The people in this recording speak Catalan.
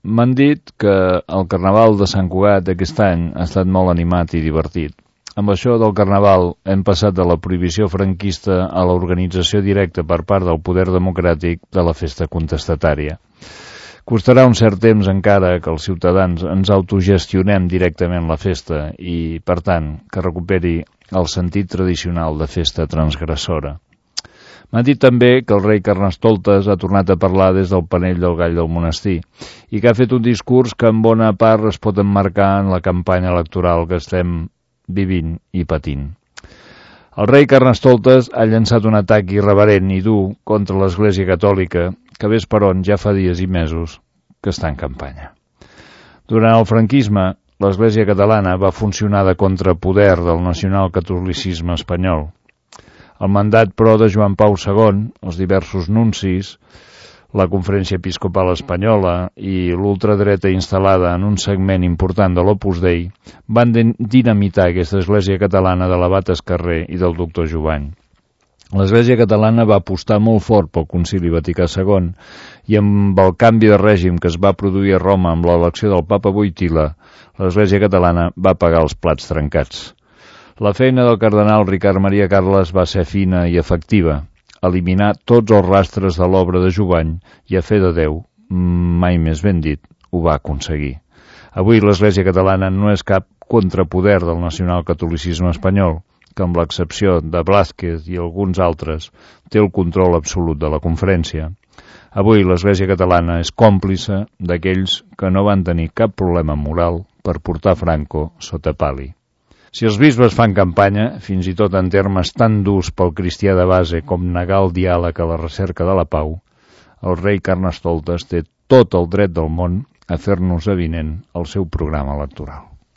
M'han dit que el Carnaval de Sant Cugat aquest any ha estat molt animat i divertit. Amb això del Carnaval hem passat de la prohibició franquista a l'organització directa per part del poder democràtic de la festa contestatària. Costarà un cert temps encara que els ciutadans ens autogestionem directament la festa i, per tant, que recuperi el sentit tradicional de festa transgressora. M'ha dit també que el rei Carnestoltes ha tornat a parlar des del panell del Gall del Monestir i que ha fet un discurs que en bona part es pot emmarcar en la campanya electoral que estem vivint i patint. El rei Carnestoltes ha llançat un atac irreverent i dur contra l'Església Catòlica que ves per on ja fa dies i mesos que està en campanya. Durant el franquisme, l'Església Catalana va funcionar de contrapoder del nacionalcatolicisme espanyol. El mandat, però, de Joan Pau II, els diversos nuncis, la Conferència Episcopal Espanyola i l'ultradreta instal·lada en un segment important de l'Opus Dei van dinamitar aquesta Església Catalana de l'abat Escarrer i del doctor Jubany. L'Església Catalana va apostar molt fort pel Concili Vaticà II i amb el canvi de règim que es va produir a Roma amb l'elecció del papa Wojtyla, l'Església Catalana va pagar els plats trencats. La feina del cardenal Ricard Maria Carles va ser fina i efectiva, eliminar tots els rastres de l'obra de Jubany i a fe de Déu, mai més ben dit, ho va aconseguir. Avui l'Església Catalana no és cap contrapoder del nacionalcatolicisme espanyol, que amb l'excepció de Blázquez i alguns altres té el control absolut de la conferència. Avui l'Església Catalana és còmplice d'aquells que no van tenir cap problema moral per portar Franco sota pali. Si els bisbes fan campanya, fins i tot en termes tan durs pel cristià de base com negar el diàleg a la recerca de la pau, el rei Carnestoltes té tot el dret del món a fer-nos avinent el seu programa electoral.